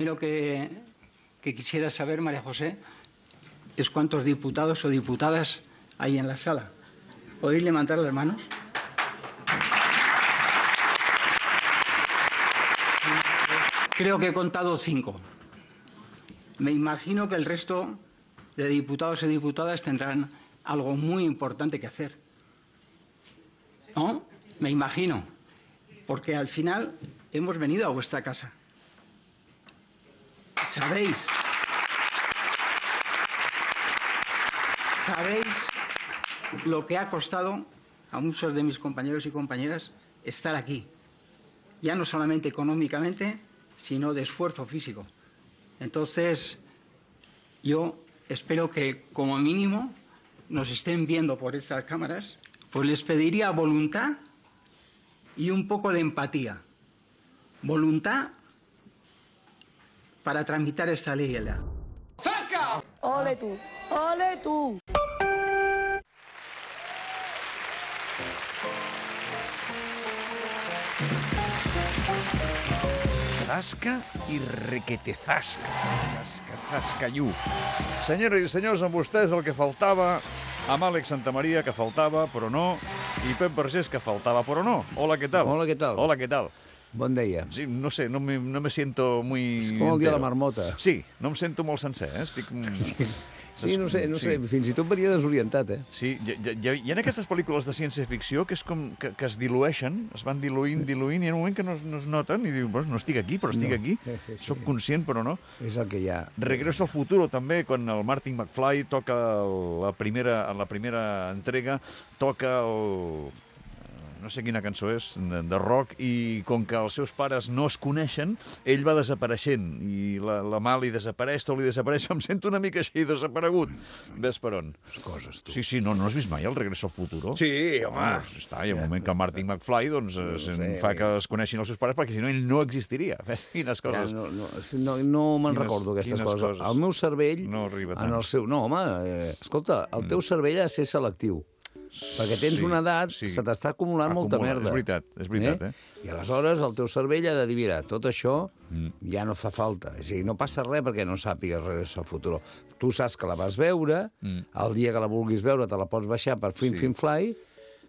Lo que quisiera saber, María José, es cuántos diputados o diputadas hay en la sala. ¿Podéis levantar las manos? Creo que he contado 5. Me imagino que el resto de diputados y diputadas tendrán algo muy importante que hacer. ¿No? Me imagino. Porque al final hemos venido a vuestra casa. ¿Sabéis lo que ha costado a muchos de mis compañeros y compañeras estar aquí? Ya no solamente económicamente, sino de esfuerzo físico. Entonces, yo espero que, como mínimo, nos estén viendo por esas cámaras, pues les pediría voluntad y un poco de empatía. Voluntad para tramitar esta ley. ¡Ole tú! ¡Ole tú! Zasca i requetezasca. Zasca-zasca-iu. Senyores i senyors, amb vostès el que faltava, amb Àlex Santamaria, que faltava, però no, i Pep Vergés, que faltava, però no. Hola, què tal? Hola, què tal? Hola, què tal? Bon dia. Sí, no sé, no me siento muy... És com el dia de la entero. marmota. Sí, no em sento molt sencer, Estic... Sí, no sé, fins i tot venia desorientat, Sí, hi ha aquestes pel·lícules de ciència-ficció que és com que es dilueixen, es van diluint, i hi ha un moment que no es noten i diu, no estic aquí, però estic aquí, soc conscient, però no. És el que hi ha. Regreso al futuro també, quan el Martin McFly toca la primera entrega, toca el... no sé quina cançó és, de rock, i com que els seus pares no es coneixen, ell va desapareixent, i la mà li desapareix, tot li desapareix, em sento una mica així desaparegut. Ves per on? Coses, tu. Sí, no has vist mai el Regreso al futuro? Sí, home. Està, hi ha un moment que el Martin McFly doncs, fa que es coneixin els seus pares, perquè si no ell no existiria. Ves quines coses. No me'n recordo aquestes coses. El meu cervell... No arriba tant. En el seu... No, home, escolta, el teu cervell ha de ser selectiu. Perquè tens una edat, se t'està acumulant molta merda. És veritat, I aleshores el teu cervell ha de dir, mira, tot això ja no fa falta. És a dir, no passa res perquè no sàpigues Regreso al futuro. Tu saps que la vas veure, el dia que la vulguis veure te la pots baixar per Fly,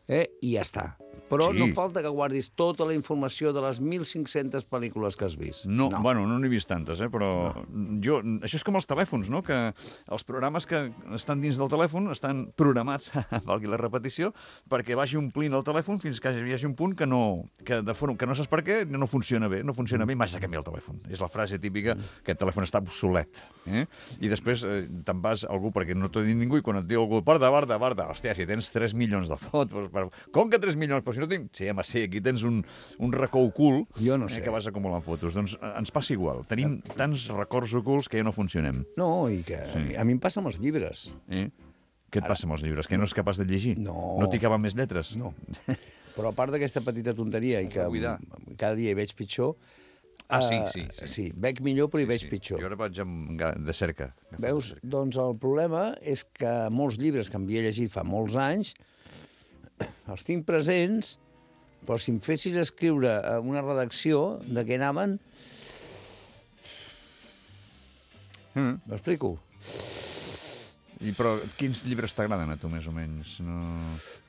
i ja està. Però no falta que guardis tota la informació de les 1.500 pel·lícules que has vist. Bueno, no n'he vist tantes, però jo... Això és com els telèfons, no? Que els programes que estan dins del telèfon estan programats, valgui la repetició, perquè vagi omplint el telèfon fins que hi hagi un punt que no saps per què, no funciona bé, i m'has de canviar el telèfon. És la frase típica que el telèfon està obsolet. I després te'n vas a algú, perquè no t'ho dit ningú, i quan et diu algú, Barda, hòstia, si tens 3 milions de fotos, com que 3 milions? Però si no tinc... Sí, home, sí, aquí tens un racó ocult que vas acumulant fotos. Doncs ens passa igual. Tenim tants records ocults que ja no funcionem. No, i que a mi em passa amb els llibres. Què et passa amb els llibres? Que no és capaç de llegir? No t'hi caben més lletres? No. Però a part d'aquesta petita tonteria i que cada dia hi veig pitjor... Sí, veig millor però hi veig pitjor. Jo ara vaig de cerca. Veus? Doncs el problema és que molts llibres que havia llegit fa molts anys els tinc presents, però si em fessis escriure una redacció de què anaven... M'explico? Però quins llibres t'agraden a tu, més o menys?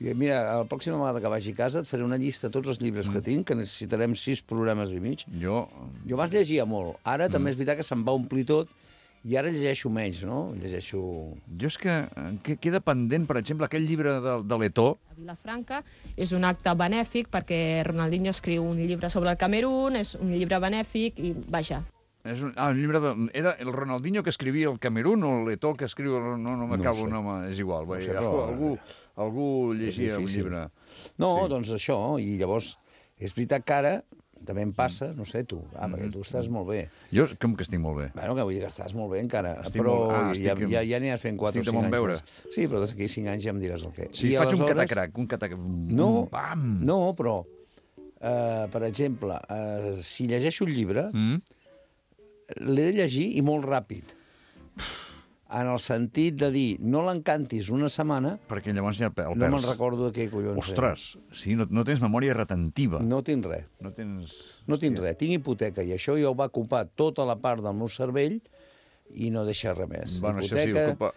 Mira, la pròxima vegada que vagi a casa et faré una llista de tots els llibres que tinc, que necessitarem 6 programes i mig. Jo abans llegia molt. Ara també és veritat que se'm va omplir tot, i ara llegeixo menys, no? Jo és que queda pendent, per exemple, aquell llibre de Letó. A Vilafranca és un acte benèfic perquè Ronaldinho escriu un llibre sobre el Camerún, és un llibre benèfic i, vaja. Un llibre era el Ronaldinho que escrivia el Camerún o el Letó que escriu... No m'acabo, és igual. Algú llegia un llibre. No, doncs això, i llavors és veritat que ara també em passa, no sé, tu, perquè tu estàs molt bé. Jo com que estic molt bé? Bueno, que vull dir que estàs molt bé encara, però ja n'hi has fent 4 o 5 anys. Sí, però d'aquí 5 anys ja em diràs el què. Sí, faig un catacrac, No, però, per exemple, si llegeixo un llibre, l'he de llegir i molt ràpid. en el sentit de dir, no l'encantis una setmana, Perquè llavors ja el perds. no me'n recordo de què collons Ostres, sí, no tens memòria retentiva. No tinc res. No tens... No tinc res. Tinc hipoteca i això ja ho va ocupar tota la part del meu cervell i no deixa res més. Bueno, això sí, ocupa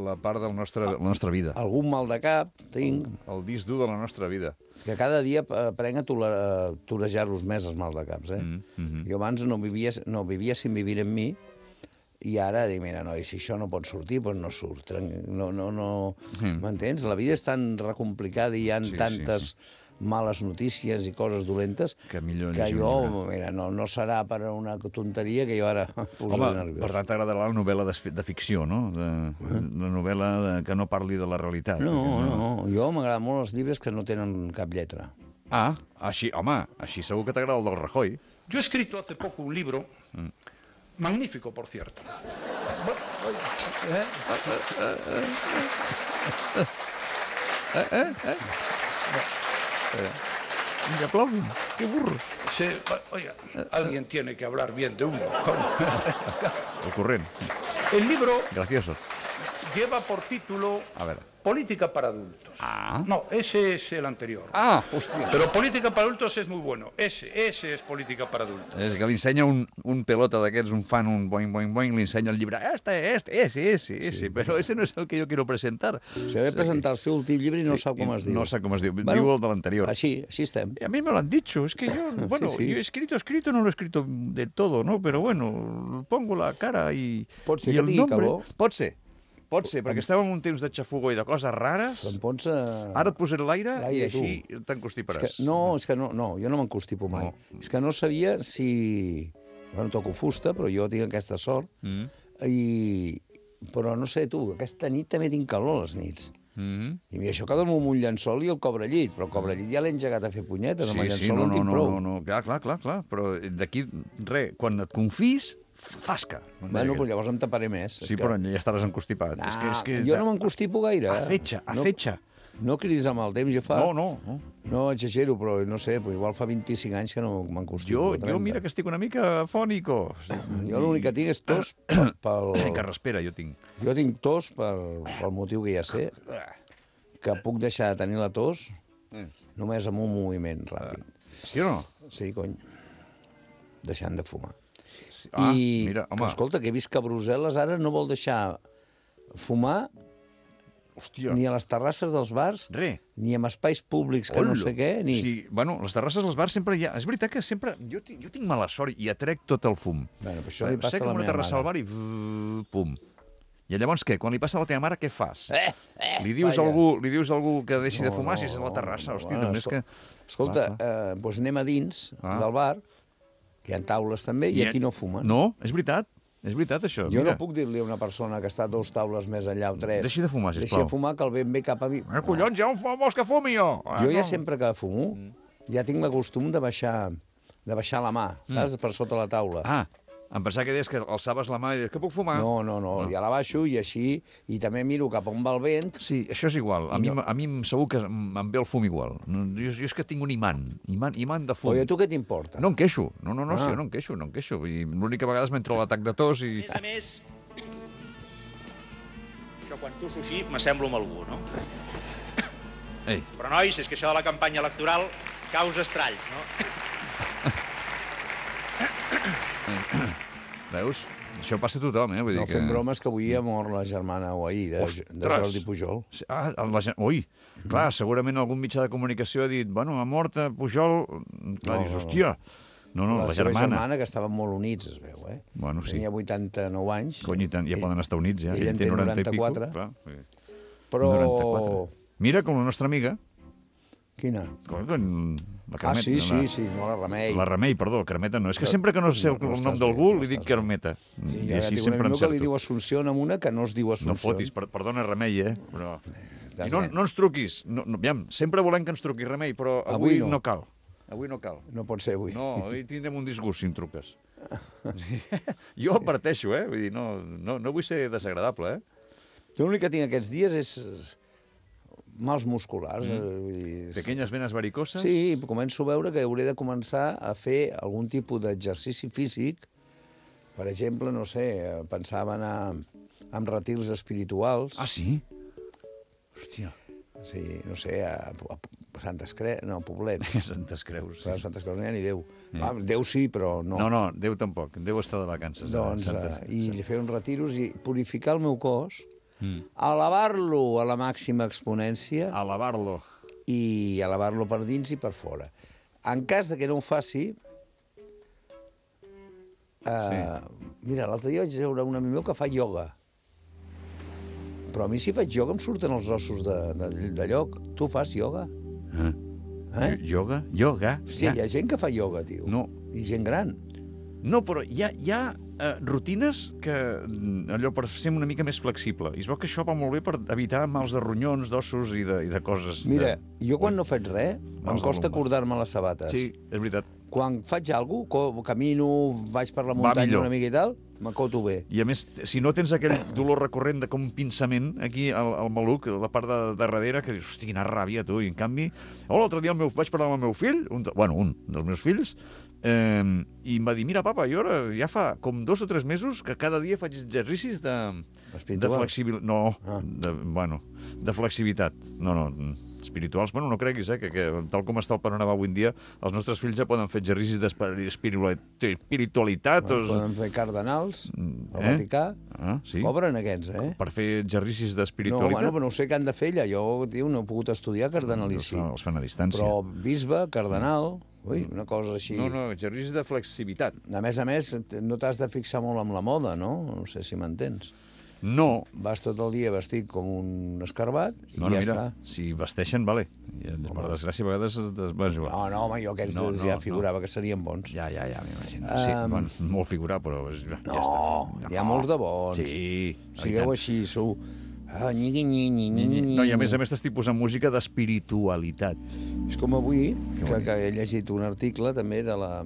la part de la nostra vida. Algun mal de cap tinc, El disc dur de la nostra vida. que cada dia aprenc a torejar-los més, els mal de caps. Jo abans no vivia sin vivir en mi, i ara dic, mira, noi, si això no pot sortir, doncs no surt. M'entens? La vida és tan recomplicada i hi ha tantes males notícies i coses dolentes que jo, mira, no serà per una tonteria que jo ara posaré nerviós. Per tant, t'agradarà la novel·la de ficció, no? La novel·la que no parli de la realitat. No, jo m'agraden molt els llibres que no tenen cap lletra. Ah, així, home, així segur que t'agrada el del Rajoy. Yo he escrito hace poco un libro, magnífico, por cierto. Y aplauden, qué burros. Oiga, alguien tiene que hablar bien de uno. Ocurrent, El libro gracioso. lleva por título A ver. Política para adultos. No, ese es el anterior. Ah, hòstia. Pero Política para adultos es muy bueno. Ese es Política para adultos. És que li ensenya un pelota d'aquests, un fan, un boing, boing, boing, li ensenya el llibre. Ese, però ese no és el que jo quiero presentar. Se ve presentar el seu últim llibre i no sap com es diu. No sap com es diu, diu el de l'anterior. Així estem. A mí me lo han dicho, es que yo, bueno, Sí. yo he escrito, no lo he escrito del todo, ¿no? Pero bueno, pongo la cara y, Pot ser y que el tingui nombre. calor. Pot ser, perquè estàvem en un temps de xafogó i de coses rares. Em pots... Ara et posaré l'aire i L'aire, així tu. t'encostiparàs. És que no, jo no m'encostipo mai. No. És que no sabia si... Bueno, toco fusta, però jo tinc aquesta sort. Però no sé, tu, aquesta nit també tinc calor a les nits. I mira, això que dormo amb un llençol i el cobrellit, però el cobrellit ja l'he engegat a fer punyetes, amb el llençol no en tinc prou. No, clar, però d'aquí, res, quan et confis, fasca. Bueno, però llavors em taparé més. Sí, però ja estaràs encostipat. És que Jo no m'encostipo gaire. Acecha. No cridis amb el temps, jo fa... No. No exagero, però no sé, igual fa 25 anys que no m'encostipo. Jo mira que estic una mica fònico. Jo l'únic que tinc és tos pel... Que respira, jo tinc. Jo tinc tos pel motiu que ja sé, que puc deixar de tenir la tos només amb un moviment ràpid. Sí o no? Sí, cony. Deixant de fumar. Mira, home. Que, escolta, que he vist que Brussel·les ara no vol deixar fumar Hòstia. ni a les terrasses dels bars, ni en espais públics que no sé què, ni... Sí, bueno, les terrasses dels bars sempre hi ha... És veritat que sempre... Jo tinc mala sort i atrec tot el fum. Bueno, però això li passa a la una meva terrassa al mare. bar i... pum. I llavors què? Quan li passa a la teva mare, què fas? Li dius a algú que deixi de fumar si és a la terrassa? Hòstia, també és que... Escolta, doncs anem a dins del bar, que hi ha taules també, i aquí no fumen. No, és veritat això. Jo no puc dir-li a una persona que està 2 taules més enllà o 3... Deixi de fumar, sisplau. Deixi de fumar, que el vent ve cap a mi. Collons, ja on vols que fumi, jo? Jo ja sempre que fumo, ja tinc la costum de baixar la mà, saps? Per sota la taula. Em pensava que deies que alçaves la mà i deies que puc fumar. No, ja la baixo i així, i també miro cap on va el vent. Sí, això és igual. A mi segur que em ve el fum igual. Jo és que tinc un imant de fum. Oye, tu què t'importa? No em queixo. No, sí, jo no em queixo. L'única vegada m'entra l'atac de tos i... A més, això quan tosso així m'assemblo amb algú, no? Ei. Però, nois, és que això de la campanya electoral causa estralls, no? Veus? Això passa a tothom, eh? Vull dir No fem bromes que avui ha mort la germana o ahir de Jordi Pujol. Ui, clar, segurament algun mitjà de comunicació ha dit, bueno, ha mort Pujol... Clar, dius, hòstia... No, la seva germana. germana, que estaven molt units, es veu, eh? Bueno, sí. Tenia 89 anys. Cony, ja poden estar units, ja. Ell en té 94. Clar, però... 94. Mira, com la nostra amiga. Quina? La Carmeta. Sí, no, la Remei. La Remei, perdó, Carmeta no. És que sempre que no sé el nom d'algú li dic Carmeta. Sí, ja tinc un amic que li diu Assumpció amb una que no es diu Assumpció. No fotis, perdona, Remei, però... I no ens truquis. Aviam, sempre volem que ens truquis, Remei, però avui no cal. Avui no cal. No pot ser avui. No, avui tindrem un disgust si em truques. Jo adverteixo, vull dir, no vull ser desagradable, L'únic que tinc aquests dies és mals musculars. Pequeñas venes varicoses? Sí, començo a veure que hauré de començar a fer algun tipus d'exercici físic. Per exemple, no sé, pensava anar amb retirs espirituals. Ah, sí? Hòstia. Sí, no sé, a Santes Creus, no, a Poblet. Santes Creus. A Santes Creus no hi ha ni Déu. Déu sí, però no. No, Déu tampoc. Déu està de vacances. Doncs, i li feia uns retiros i purificar el meu cos, elevar-lo a la màxima exponència Elevar-lo. i elevar-lo per dins i per fora. En cas de que no ho faci... Mira, l'altre dia vaig veure un amic meu que fa ioga. Però a mi si faig ioga em surten els ossos de lloc. Tu fas ioga? Ioga? Ioga? Hòstia, hi ha gent que fa ioga, tio. No. I gent gran. No, però hi ha rutines que allò per ser una mica més flexible. I es veu que això va molt bé per evitar mals de ronyons, d'ossos i de coses. Mira, jo quan no faig res, em costa acordar-me les sabates. Sí, és veritat. Quan faig alguna cosa, camino, vaig per la muntanya una mica i tal, m'acoto bé. I a més, si no tens aquell dolor recurrent de com un pinçament aquí al maluc, la part de darrere, que dius, hosti, quina ràbia, tu. I en canvi, l'altre dia vaig parlar amb el meu fill, un dels meus fills, i em va dir, mira, papa, jo ara ja fa com 2 o 3 mesos que cada dia faig exercicis de flexibilitat. No, de flexibilitat. No, espirituals, no creguis, que tal com està el panorama avui en dia, els nostres fills ja poden fer exercicis d'espiritualitat. Poden fer cardenals, al Vaticà. Sí. Cobren aquests, Per fer exercicis d'espiritualitat. No, però no sé què han de fer allà. Jo, tio, no he pogut estudiar cardenalici. Els fan a distància. Però bisbe, cardenal, una cosa així. No, exercicis de flexibilitat. A més, no t'has de fixar molt amb la moda, no? No sé si m'entens. No. Vas tot el dia vestit com un escarbat i ja està. Si vesteixen, vale. Per desgràcia, a vegades vas jugar. No, home, jo aquests ja figurava que serien bons. Ja, m'imagino. Sí, molt figurar, però ja està. No, hi ha molts de bons. Sí. Sigueu així, sou... No, i a més t'estic posant música d'espiritualitat. És com avui, que he llegit un article també de la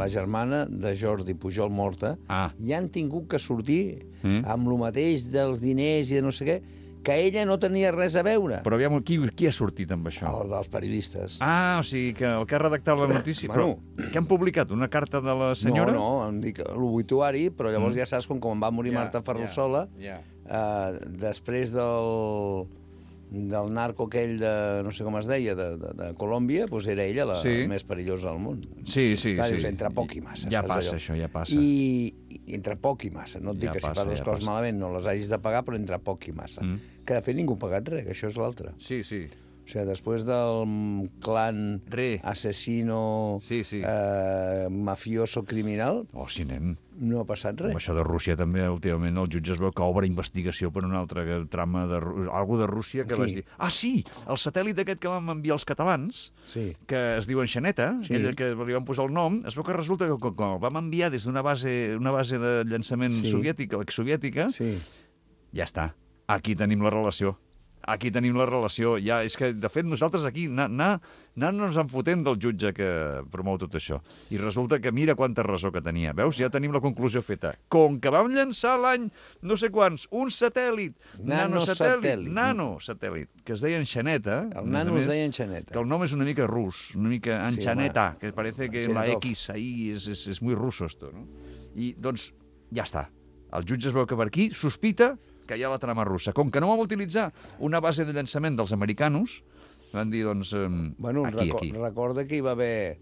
germana de Jordi Pujol morta, i han tingut que sortir amb lo mateix dels diners i de no sé què, que ella no tenia res a veure. Però aviam, qui ha sortit amb això? El dels periodistes. O sigui, que el que ha redactat la notícia... Però què han publicat? Una carta de la senyora? No, em dic l'obituari, però llavors ja saps com va morir Marta Ferrusola, després del narco aquell de, no sé com es deia, de Colòmbia, doncs era ella la més perillosa del món. Sí. Clar, dius, entre poc i massa. Ja passa això, ja passa. I entre poc i massa. No et dic que si fas les coses malament no les hagis de pagar, però entre poc i massa. Que de fet ningú ha pagat res, que això és l'altre. Sí. O sigui, després del clan assassino, mafioso, criminal, nen. No ha passat res. Amb això de Rússia també, últimament, els jutges veu que obre investigació per una altra trama algo de Rússia que vas dir... Sí, el satèl·lit aquest que vam enviar els catalans, que es diu Enxaneta, aquell que li van posar el nom, es veu que resulta que quan el vam enviar des d'una base de llançament soviètica, exsoviètica, ja està. Aquí tenim la relació. Ja, és que, de fet, nosaltres aquí anant-nos enfotent del jutge que promou tot això. I resulta que mira quanta raó que tenia. Veus? Ja tenim la conclusió feta. Com que vam llançar l'any no sé quants, un satèl·lit, nanosatèl·lit, que es deia Enxaneta. El nano es deia Enxaneta. Que el nom és una mica rus, una mica Enxaneta, que parece que la X ahí és muy ruso esto, no? I, doncs, ja està. El jutge es veu que per aquí sospita que hi ha la trama russa. Com que no vam utilitzar una base de llançament dels americanos, van dir, doncs, aquí. Recorda que hi va haver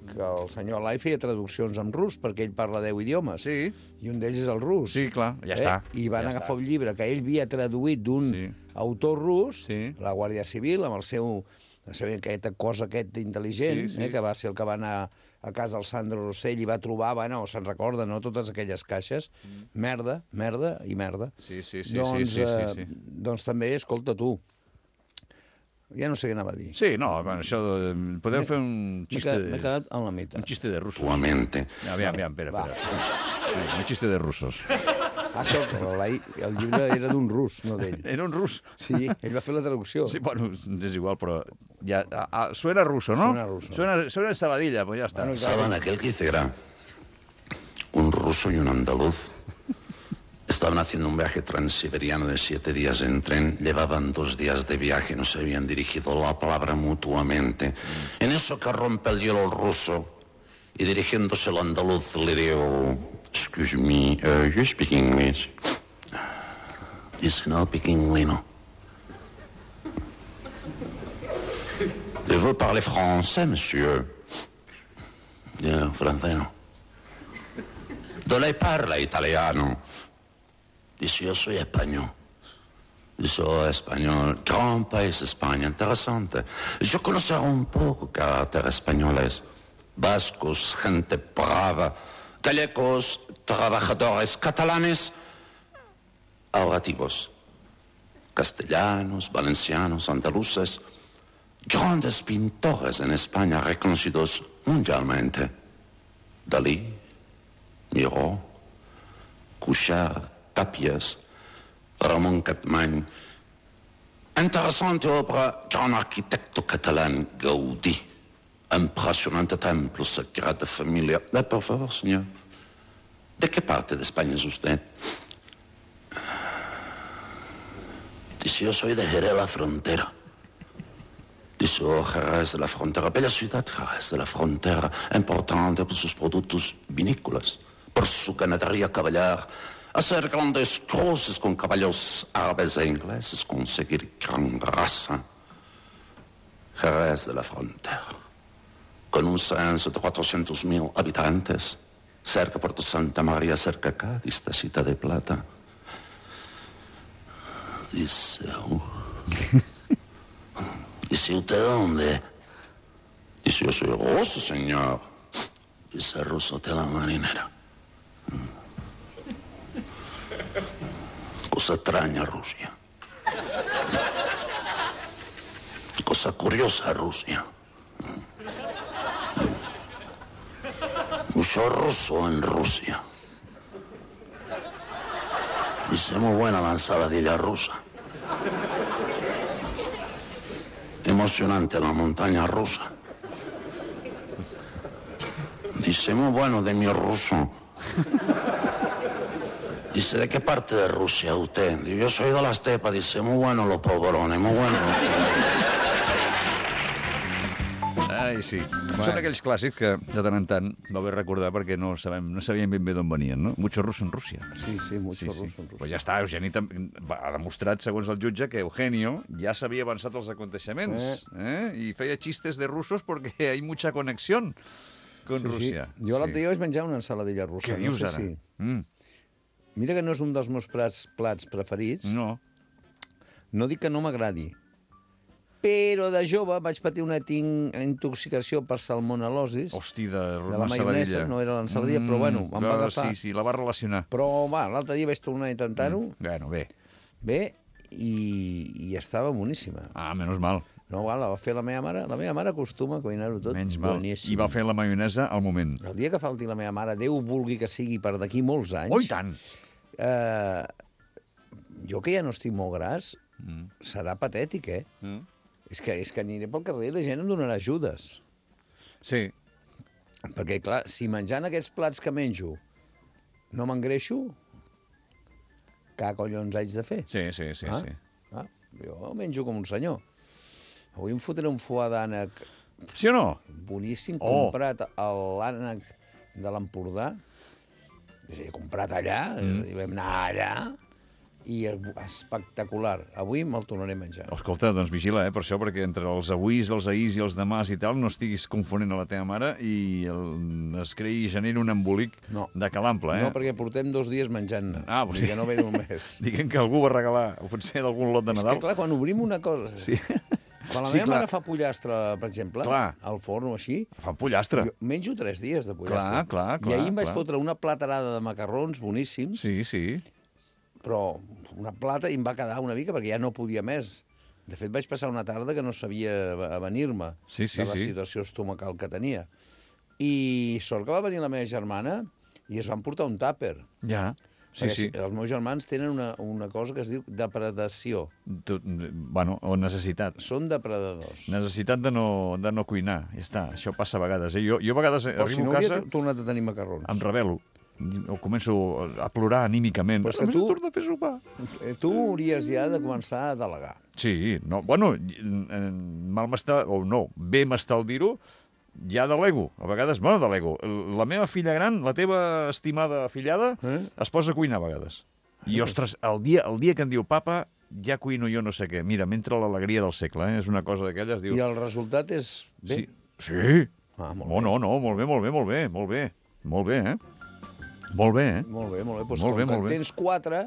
que el senyor Lai feia traduccions en rus, perquè ell parla 10 idiomes. Sí. I un d'ells és el rus. Sí, clar, ja està. I van agafar un llibre que ell havia traduït d'un autor rus, la Guàrdia Civil, amb el seu aquesta cosa intel·ligent, que va ser el que va anar a casa del Sandro Rossell i va trobar, se'n recorda, no?, totes aquelles caixes. Merda i merda. Sí. Doncs també, escolta, tu, ja no sé què anava a dir. Sí, no, això... Podem fer un xiste... M'he quedat en la meitat. Un xiste de russos. Actualmente. Aviam, espera. Un xiste de russos. El llibre era d'un rus, no d'ell. Era un rus? Sí, ell va fer la traducció. Sí, bueno, és igual, però ja... Suena ruso, ¿no? Suena ruso. Suena Sabadilla, pues ya está. Estaban aquel que dice Gra, un ruso y un andaluz. Estaban haciendo un viaje transiberiano de 7 días en tren. Llevaban 2 días de viaje, no se habían dirigido la palabra mutuamente. En eso que rompe el hielo el ruso y dirigiéndose al andaluz le digo... Excuse me, you speak English? Dice, no, Piquinglino. Je veux parler français, monsieur. Francés no. ¿De lei parla italiano? Dice, yo soy español. Dice, oh, español. Gran país España, interesante. Yo conozco un poco carácter españoles. Vascos, gente brava. Gallegos, trabajadores catalanes. Ahorrativos. Castellanos, valencianos, andaluces. Grandes pintores en España reconocidos mundialmente. Dalí, Miró, Cuixart, Tapies, Ramon Capmany. Interessante obra, gran arquitecto catalán, Gaudí. Impresionante templo, Sagrada Familia. Por favor, señor, ¿de qué parte de España es usted? Dice, yo soy de Jerez la Frontera. Dice, oh, Jerez de la Frontera, bella ciudad, Jerez de la Frontera, importante por sus productos vinícolas, por su ganadería caballar, hacer grandes cruces con caballos árabes e ingleses, conseguir gran raza. Jerez de la Frontera, con un censo de 400.000 habitantes, cerca Puerto Santa María, cerca Cádiz, Tacita de Plata. Dice, dice, ¿usted dónde? Dice, yo soy ruso, señor. Dice, ruso de la marinera. Cosa extraña Rusia. Cosa curiosa Rusia. Mucho ruso en Rusia. Dice, muy buena la ensaladilla rusa. Emocionante la montaña rusa. Dice, muy bueno de mi ruso. Dice, ¿de qué parte de Rusia usted? Dice, yo soy de la estepa. Dice, muy bueno los polvorones, muy bueno. Ai, sí. Són aquells clàssics que de tant en tant va bé recordar perquè no sabíem ben bé d'on venien, no? Mucho ruso en Rússia. Sí, mucho ruso en Rússia. Però ja està, Eugeni ha demostrat, segons el jutge, que Eugenio ja s'havia avançat els aconteixements i feia xistes de russos perquè hay mucha conexión con Rússia. Sí. Jo l'altre dia vaig menjar una ensaladilla russa. Què dius ara? Sí. Mira que no és un dels meus plats preferits. No. No dic que no m'agradi, però de jove vaig patir una intoxicació per salmonel·losis. Hosti, de la maionesa, no era l'ensaladilla, però bueno, em va agafar. Sí, la va relacionar. Però va, l'altre dia vaig tornar a intentar-ho. Bueno, bé. Bé, i estava boníssima. Ah, menys mal. No, la va fer la meva mare. La meva mare acostuma a cuinar-ho tot boníssim. I va fer la maionesa al moment. El dia que falti la meva mare, Déu vulgui que sigui per d'aquí molts anys... Oh, i tant! Jo que ja no estic molt gras, serà patètic, És que aniré pel carrer i la gent em donarà ajudes. Sí. Perquè, clar, si menjant aquests plats que menjo no m'engreixo, què collons haig de fer? Sí. Jo menjo com un senyor. Avui em fotré un foie d'ànec... Sí o no? Boníssim, comprat a l'ànec de l'Empordà. És a dir, comprat allà, vam anar allà, i espectacular. Avui me'l tornaré a menjar. Escolta, doncs vigila, per això, perquè entre els avuis, els ahís i els demàs i tal, no estiguis confonent a la teva mare i es creï i generi un embolic de calample, No, perquè portem 2 dies menjant-ne. Sí. Que no ve d'un mes. Diguem que algú va regalar, potser d'algun lot de Nadal. És que, clar, quan obrim una cosa... Sí. Quan la meva mare fa pollastre, per exemple, al forn o així... Fa pollastre. Jo menjo 3 dies de pollastre. Clar. I ahir em vaig fotre una platerada de macarrons boníssims. Sí. Però una plata i em va quedar una mica perquè ja no podia més. De fet, vaig passar una tarda que no sabia avenir-me de la situació estomacal que tenia. I sort que va venir la meva germana i es van portar un tàper. Ja. Sí. Els meus germans tenen una cosa que es diu depredació. O necessitat. Són depredadors. Necessitat de no cuinar. Ja està, això passa a vegades. Jo a vegades arribo a casa... Però si no havia tornat a tenir macarrons. Em rebel·lo. Començo a plorar anímicament. Però és que tu... torna a fer sopar. Tu hauries ja de començar a delegar. Sí, no, bueno, mal m'està... O no, bé m'està el dir-ho, ja delego. A vegades, delego. La meva filla gran, la teva estimada afillada, es posa a cuinar a vegades. I, ostres, el dia que em diu papa, ja cuino jo no sé què. Mira, m'entra l'alegria del segle, És una cosa d'aquelles, diu... I el resultat és bé? Sí. Molt bé. No, molt bé. Molt bé, Molt bé, Molt bé. Doncs Molt bé, com que tens 4...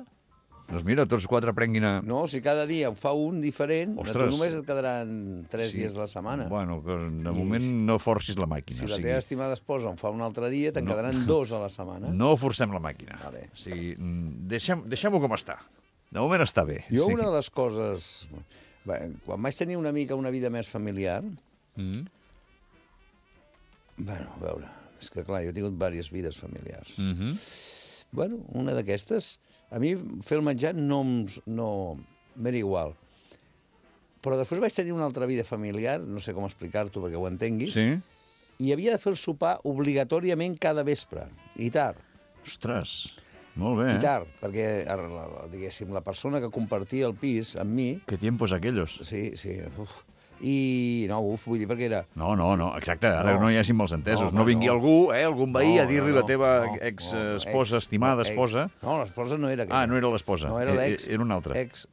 Doncs mira, tots 4 prenguin a... No, si cada dia fa un diferent, Ostres. tu només et quedaran 3 dies a la setmana. Bueno, de moment no forcis la màquina. Si la teva estimada esposa en fa un altre dia, te'n quedaran 2 a la setmana. No forcem la màquina. Vale. O sigui, deixem-ho com està. De moment està bé. Jo una de les coses... Quan vaig tenir una mica una vida més familiar... Bueno, a veure... És que, clar, jo he tingut diverses vides familiars. Bueno, una d'aquestes... A mi fer el menjar no m'era igual. Però després vaig tenir una altra vida familiar, no sé com explicar-t'ho perquè ho entenguis, i havia de fer el sopar obligatòriament cada vespre, i tard. Ostres, molt bé, I tard, perquè, diguéssim, la persona que compartia el pis amb mi... Que tiempos aquellos. Sí, I no, vull dir, perquè era... No, exacte, ara no hi hagi mals entesos. No vingui algú, algun veí, a dir-li la teva ex-esposa, estimada esposa... No, l'esposa no era aquella. Ah, no era l'esposa. No, era l'ex. Era una altra. Ex.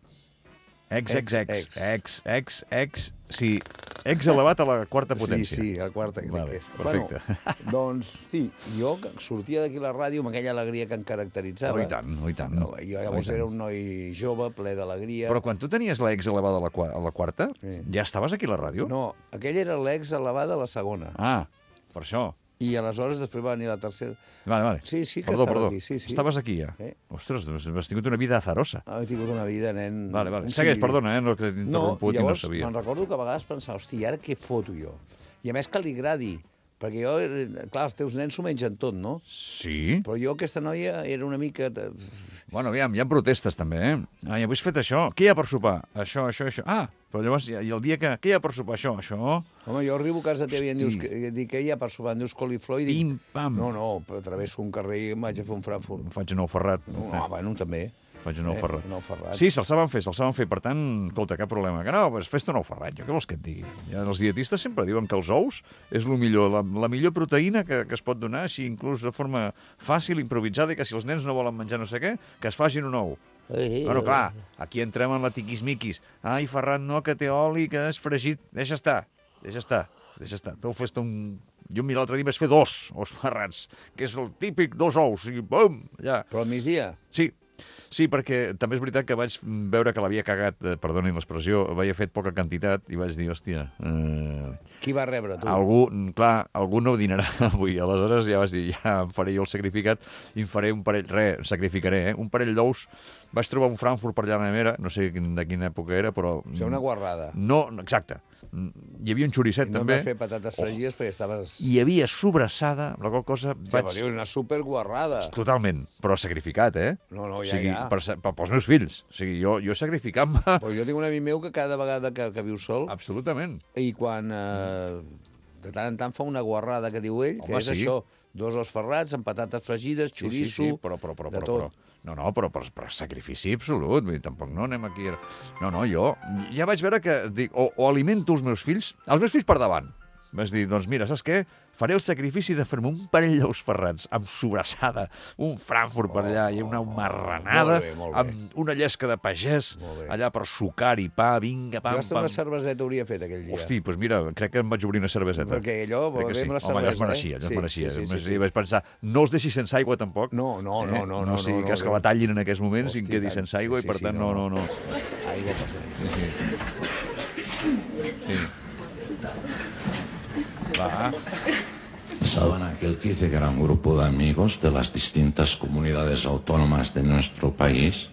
Sí, ex elevat a la quarta potència. Sí, a la quarta, crec que és. Perfecte. Bueno, doncs, sí, jo sortia d'aquí a la ràdio amb aquella alegria que em caracteritzava. I tant. Jo llavors era un noi jove, ple d'alegria. Però quan tu tenies l'ex elevada a la quarta, ja estaves aquí a la ràdio? No, aquella era l'ex elevada a la segona. Ah, per això. I aleshores després va venir la tercera. Vale. Sí, que estava aquí. Sí. Estaves aquí ja? Ostres, has tingut una vida azarosa. He tingut una vida, nen... Vale. Segueix, perdona, no que t'interromput i no sabia. Me'n recordo que a vegades pensava, hosti, i ara què foto jo? I a més que li agradi, perquè jo, clar, els teus nens s'ho mengen tot, no? Sí. Però jo, aquesta noia, era una mica... Bueno, aviam, hi ha protestes també, Ai, avui has fet això, què hi ha per sopar? Això. Ah, però llavors, i el dia que... Què hi ha per sopar? Això. Home, jo arribo a casa teva i em dius què hi ha per sopar? Em dius coliflor i dic... Pim-pam. No, però travesso un carrer i em vaig a fer un Frankfurt. Faig un ou ferrat. Bueno, també. Faig un ou ferrat. Un ou ferrat. Sí, se'l saben fer. Per tant, escolta, cap problema. Que no, fes-te un ou ferrat. Jo què vols que et digui? Ja, els dietistes sempre diuen que els ous és el millor, la millor proteïna que es pot donar, així inclús de forma fàcil, improvisada, i que si els nens no volen menjar no sé què, que es facin un ou. Bueno, clar, aquí entrem en la tiquismiquis. Ai, Ferran, no, que té oli, que és fregit. Deixa estar. Tu fes un... Jo l'altre dia vaig fer 2 ous ferrats, que és el típic 2 ous, i bum, allà. Però al migdia? Sí, perquè també és veritat que vaig veure que l'havia cagat, perdonin l'expressió, havia fet poca quantitat i vaig dir, hòstia... Qui va rebre, tu? Algú no dinarà avui. Aleshores ja vaig dir, ja em faré jo el sacrificat i em faré un parell, sacrificaré, un parell d'ous. Vaig trobar un Frankfurt per allà a la nevera, no sé de quina època era, però... O sigui, una guarrada. No, exacte. Hi havia un xoricet, també. I no vas fer patates fregides perquè estaves... Hi havia sobrassada, la qual cosa... Una superguarrada. Totalment, però sacrificat, No, ja. Pels meus fills. O sigui, jo sacrificant-me... Però jo tinc un amic meu que cada vegada que viu sol... Absolutament. I quan de tant en tant fa una guarrada que diu ell, que és això, 2 ous ferrats amb patates fregides, xoriço, de tot. No, però per sacrifici absolut, vull dir, tampoc no anem aquí... No, jo ja vaig veure que dic, o alimento els meus fills per davant. Vaig dir, doncs mira, saps què? Faré el sacrifici de fer-me un parell d'ous ferrats amb sobrassada, un Frankfurt per allà i una marranada, amb una llesca de pagès allà per sucar i pa, vinga, pam, pam. Jo hasta una cerveseta hauria fet aquell dia. Hosti, doncs mira, crec que em vaig obrir una cerveseta. Perquè allò, la cervesa, allò es mereixia. Sí. Vaig pensar, no els deixis sense aigua tampoc. No. No sigui cas que la tallin en aquests moments i em quedi sense aigua i per tant no. Aigua per Sí. ¿Saben aquel que dice que era un grupo de amigos de las distintas comunidades autónomas de nuestro país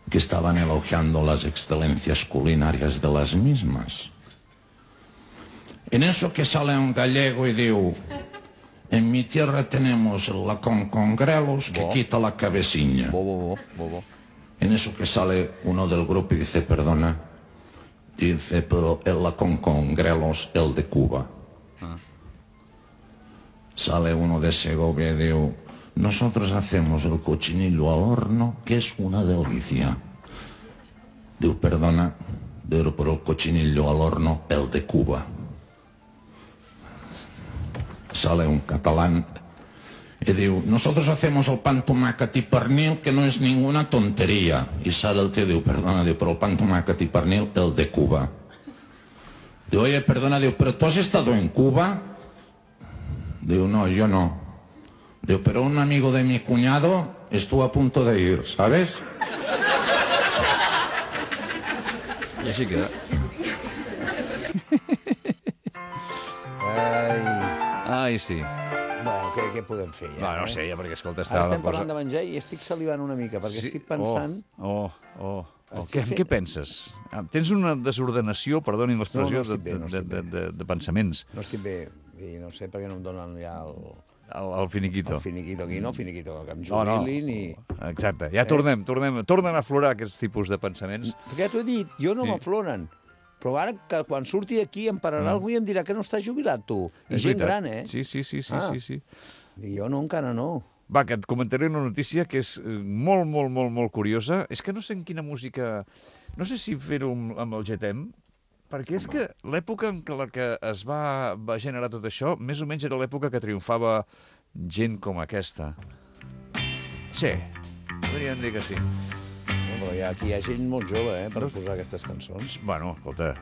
que estaban elogiando las excelencias culinarias de las mismas? En eso que sale un gallego y digo, en mi tierra tenemos el lacón con grelos que quita la cabeciña. En eso que sale uno del grupo y dice, perdona, dice, pero el lacón con grelos, el de Cuba. Sale uno de Segovia y digo, nosotros hacemos el cochinillo al horno, que es una delicia. Digo, perdona, pero por el cochinillo al horno, el de Cuba. Sale un catalán Y digo, nosotros hacemos el pan tomàquet y pernil, que no es ninguna tontería. Y sale el tío y digo, perdona, digo, pero el pan tomàquet y pernil, el de Cuba. Digo, oye, perdona, digo, ¿pero tú has estado en Cuba? Digo, no, yo no. Digo, pero un amigo de mi cuñado estuvo a punto de ir, ¿sabes? I així queda. Ai, sí. Bueno, què podem fer ja? Va, no sé, ja, perquè, escolta, està Ara la estem cosa... parlant de menjar i estic salivant una mica, perquè estic pensant... Què penses? Tens una desordenació, perdonin l'expressió, No estic bé. de pensaments. No estic bé, i no sé per què no em donen ja El finiquito. el finiquito aquí, no finiquito, que em jubilin i... Exacte, ja tornem a aflorar aquests tipus de pensaments. Perquè t'ho he dit, jo no Sí. m'afloren. Però ara, que quan surti d'aquí, em pararà algú i em dirà que no estàs jubilat, tu. I És gent veritat. gran, eh? Sí. I jo no, encara no. Va, que et comentaré una notícia que és molt curiosa. És que no sé en quina música... No sé si fer-ho amb el GTM, perquè és que l'època en la que es va generar tot això, més o menys era l'època que triomfava gent com aquesta. Sí, podríem dir que sí. No, però aquí hi ha gent molt jove, per posar aquestes cançons. Bueno, escolta,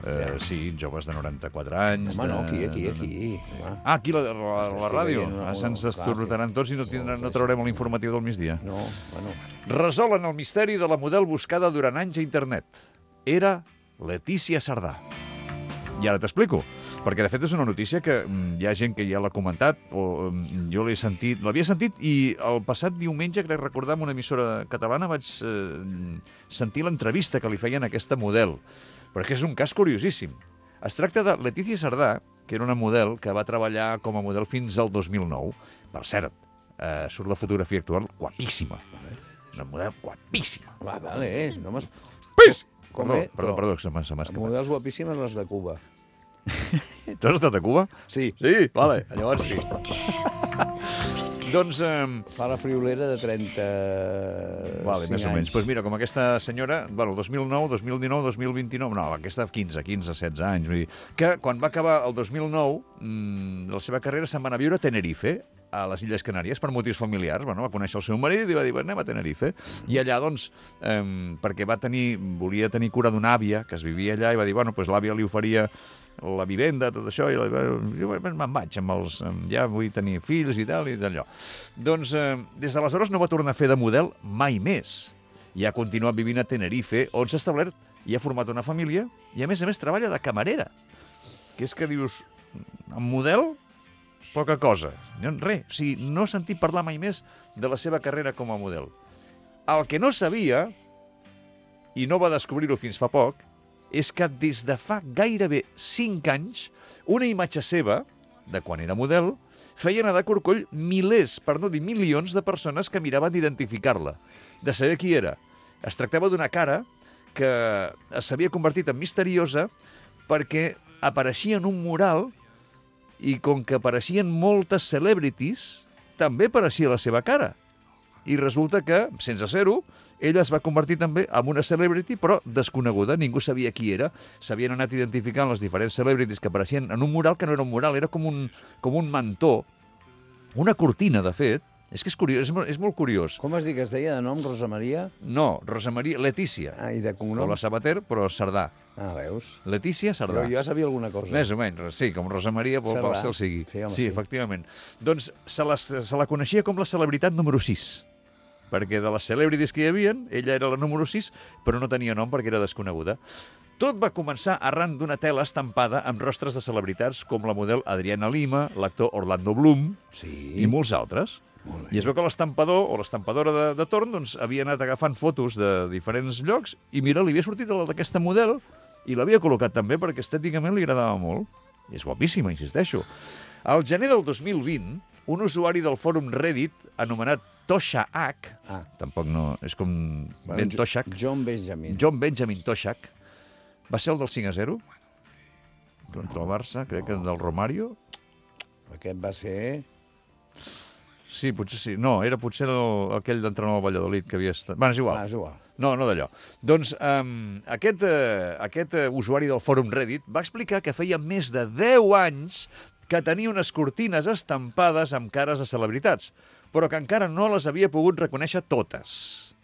sí, joves de 94 anys... Home, no, aquí. Ah, aquí, la ràdio. Se'ns destorrotaran tots i no traurem l'informatiu del migdia. No, bueno... Resolen el misteri de la model buscada durant anys a internet. Era Letícia Sardà. I ara t'explico. Perquè, de fet, és una notícia que hi ha gent que ja l'ha comentat, o jo l'havia sentit, i el passat diumenge, crec recordar, en una emissora catalana vaig sentir l'entrevista que li feien a aquesta model. Però és que és un cas curiosíssim. Es tracta de Letícia Sardà, que era una model que va treballar com a model fins al 2009. Per cert, surt la fotografia actual guapíssima. Una model guapíssima. Vale, no m'has... Pis! Perdó, se m'ha escapat. Models guapíssimes les de Cuba. Tu has estat a Cuba? Sí. Sí? Vale, llavors sí. Doncs... Fa la friolera de 35 Vale, més o menys. anys. Doncs mira, com aquesta senyora, bueno, 2009, 2019, 2029... No, aquesta 15, 16 anys. Vull dir, que quan va acabar el 2009, la seva carrera se'n va anar a viure a Tenerife, a les Illes Canàries, per motius familiars. Bueno, va conèixer el seu marit i va dir, anem a Tenerife. I allà, doncs, perquè volia tenir cura d'una àvia que es vivia allà, i va dir, bueno, doncs l'àvia li oferia la vivenda, tot això, i jo me'n vaig ja vull tenir fills i tal, i d'allò. Doncs, des d'aleshores no va tornar a fer de model mai més. I ha continuat vivint a Tenerife, on s'ha establert i ha format una família, i a més treballa de camarera. Que és que dius, en model, poca cosa. Res, o sigui, no he sentit parlar mai més de la seva carrera com a model. El que no sabia, i no va descobrir-ho fins fa poc, és que des de fa gairebé 5 anys, una imatge seva, de quan era model, feia anar de corcoll milers, per no dir milions, de persones que miraven d'identificar-la, de saber qui era. Es tractava d'una cara que s'havia convertit en misteriosa perquè apareixia en un mural i com que apareixien moltes celebrities, també apareixia la seva cara. I resulta que, sense ser-ho, ella es va convertir també en una celebrity, però desconeguda, ningú sabia qui era. S'havien anat identificant les diferents celebrities que apareixien en un mural que no era un mural, era com un mantó, una cortina, de fet. És que és curiós, és molt curiós. Com has dit que es deia de nom, Rosa Maria? No, Rosa Maria, Letícia. Ah, i de cognom? Com la Sabater, però Sardà. Ah, veus? Letícia Sardà. Jo sabia alguna cosa. Més o menys, sí, com Rosa Maria, vol ser el sigui. Sí, efectivament. Doncs se la coneixia com la celebritat número 6. Perquè de les celebrities que hi havia, ella era la número 6, però no tenia nom perquè era desconeguda. Tot va començar arran d'una tela estampada amb rostres de celebritats com la model Adriana Lima, l'actor Orlando Bloom i molts altres. I es veu que l'estampador o l'estampadora de torn doncs, havia anat agafant fotos de diferents llocs i mira, li havia sortit la d'aquesta model i l'havia col·locat també perquè estèticament li agradava molt. I és guapíssima, insisteixo. Al gener del 2020, un usuari del fòrum Reddit anomenat Tosha H, tampoc no, és com Ben Toshak. John Benjamin Toshak, va ser el del 5-0 contra el Barça, crec que del Romario. Aquest va ser... Sí, potser sí. No, era potser aquell d'entrenador al Valladolid que havia estat... Bueno, és igual. És igual. No d'allò. Doncs aquest usuari del fòrum Reddit va explicar que feia més de 10 anys que tenia unes cortines estampades amb cares de celebritats. però que encara no les havia pogut reconèixer totes.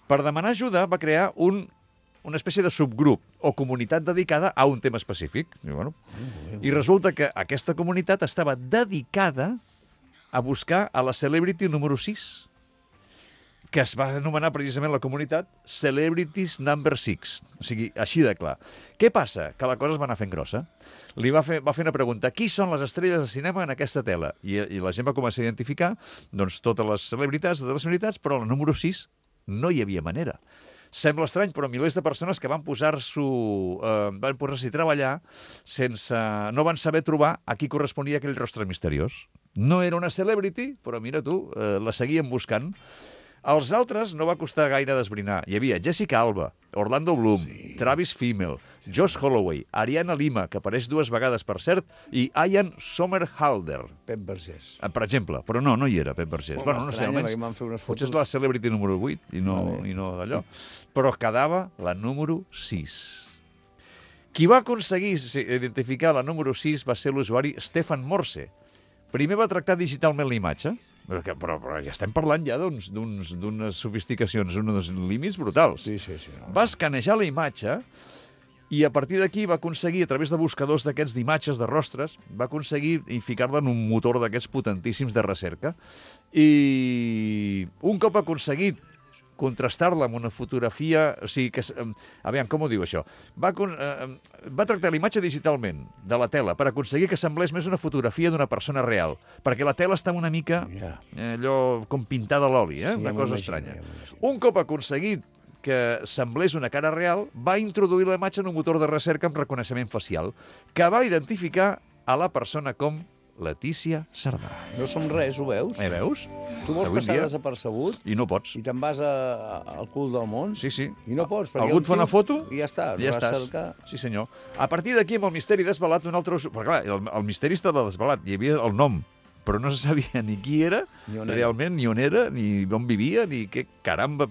Per demanar ajuda va crear una espècie de subgrup o comunitat dedicada a un tema específic. I resulta que aquesta comunitat estava dedicada a buscar a la celebrity número 6, que es va anomenar precisament la comunitat Celebrities Number 6. O sigui, així de clar. Què passa? Que la cosa es va anar fent grossa. Va fer una pregunta: qui són les estrelles de cinema en aquesta tela? I la gent va començar a identificar doncs, totes les celebritats, però la número 6 no hi havia manera. Sembla estrany, però milers de persones que van posar-s'hi a treballar no van saber trobar a qui corresponia aquell rostre misteriós. No era una celebrity, però mira tu, la seguien buscant. Els altres no va costar gaire d'esbrinar. Hi havia Jessica Alba, Orlando Bloom, Travis Fimmel, Josh Holloway, Ariana Lima, que apareix 2 vegades, per cert, i Ian Somerhalder. Pep Vergés. Per exemple. Però no hi era Pep Vergés. Bueno, no sé, almenys potser és la celebrity número 8 i no d'allò. Però quedava la número 6. Qui va aconseguir identificar la número 6 va ser l'usuari Stefan Morse. Primer va tractar digitalment la imatge, però ja estem parlant ja d'unes sofisticacions, uns límits brutals. Sí. Va escanejar la imatge i a partir d'aquí va aconseguir, a través de buscadors d'aquests d'imatges, de rostres, va aconseguir ficar-la en un motor d'aquests potentíssims de recerca. I un cop aconseguit contrastar-la amb una fotografia... O sigui que... Aviam, com ho diu això? Va tractar la imatge digitalment de la tela per aconseguir que semblés més una fotografia d'una persona real, perquè la tela estava una mica allò com pintada a l'oli, una cosa estranya. Un cop aconseguit que semblés una cara real, va introduir la imatge en un motor de recerca amb reconeixement facial, que va identificar a la persona com Letícia Sardà. No som res, ho veus? Veus? Tu vols passar desapercebut i no pots. I te'n vas al cul del món? Sí. I no pots. Algú et fa una foto i ja està. I ja estàs. Sí, senyor. A partir d'aquí, amb el misteri desvelat, un altre... Perquè, clar, el misteri estava desvelat. Hi havia el nom, però no se sabia ni qui era, realment, ni on era, ni on vivia, ni què caramba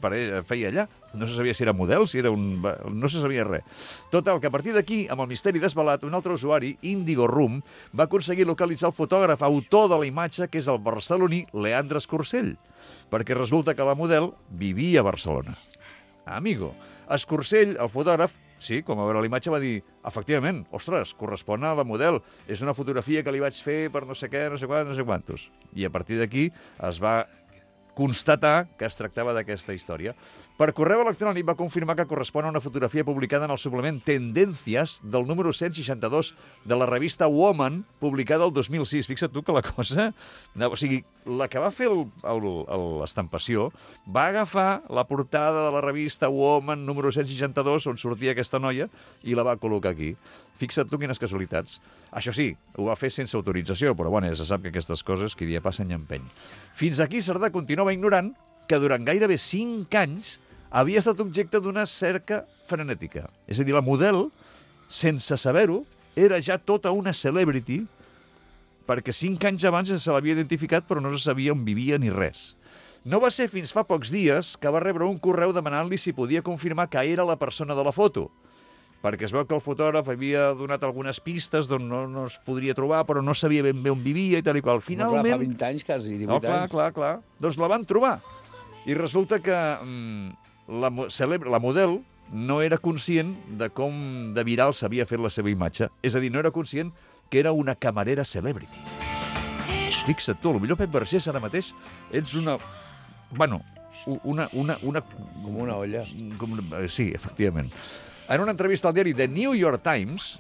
feia allà. No se sabia si era model, si era no se sabia res. Total, que a partir d'aquí, amb el misteri desvelat, un altre usuari, Indigo Room, va aconseguir localitzar el fotògraf autor de la imatge, que és el barceloní Leandre Escursell, perquè resulta que la model vivia a Barcelona. Amigo, Escursell, el fotògraf, sí, com a veure la imatge va dir, efectivament, ostres, correspon a la model, és una fotografia que li vaig fer per no sé què, no sé quantos. I a partir d'aquí es va constatar que es tractava d'aquesta història. Per correu electrònic va confirmar que correspon a una fotografia publicada en el suplement Tendències del número 162 de la revista Woman, publicada el 2006. Fixa't tu que la cosa... O sigui, la que va fer l'estampació va agafar la portada de la revista Woman número 162, on sortia aquesta noia, i la va col·locar aquí. Fixa't tu quines casualitats. Això sí, ho va fer sense autorització, però bueno, ja se sap que aquestes coses qui dia passen i empeny. Fins aquí Sardà continuava ignorant que durant gairebé 5 anys havia estat objecte d'una cerca frenètica. És a dir, la model, sense saber-ho, era ja tota una celebrity, perquè 5 anys abans se l'havia identificat però no se sabia on vivia ni res. No va ser fins fa pocs dies que va rebre un correu demanant-li si podia confirmar que era la persona de la foto, perquè es veu que el fotògraf havia donat algunes pistes d'on no es podria trobar, però no sabia ben bé on vivia i tal i qual. Finalment... Fa 20 anys, quasi, 18 anys. Clar. Doncs la van trobar. I resulta que la model no era conscient de com de viral s'havia fet la seva imatge. És a dir, no era conscient que era una camarera celebrity. Fixa't tu, potser Pep Vergés ara mateix ets una... Bueno, una... Com una olla. Sí, efectivament. En una entrevista al diari The New York Times,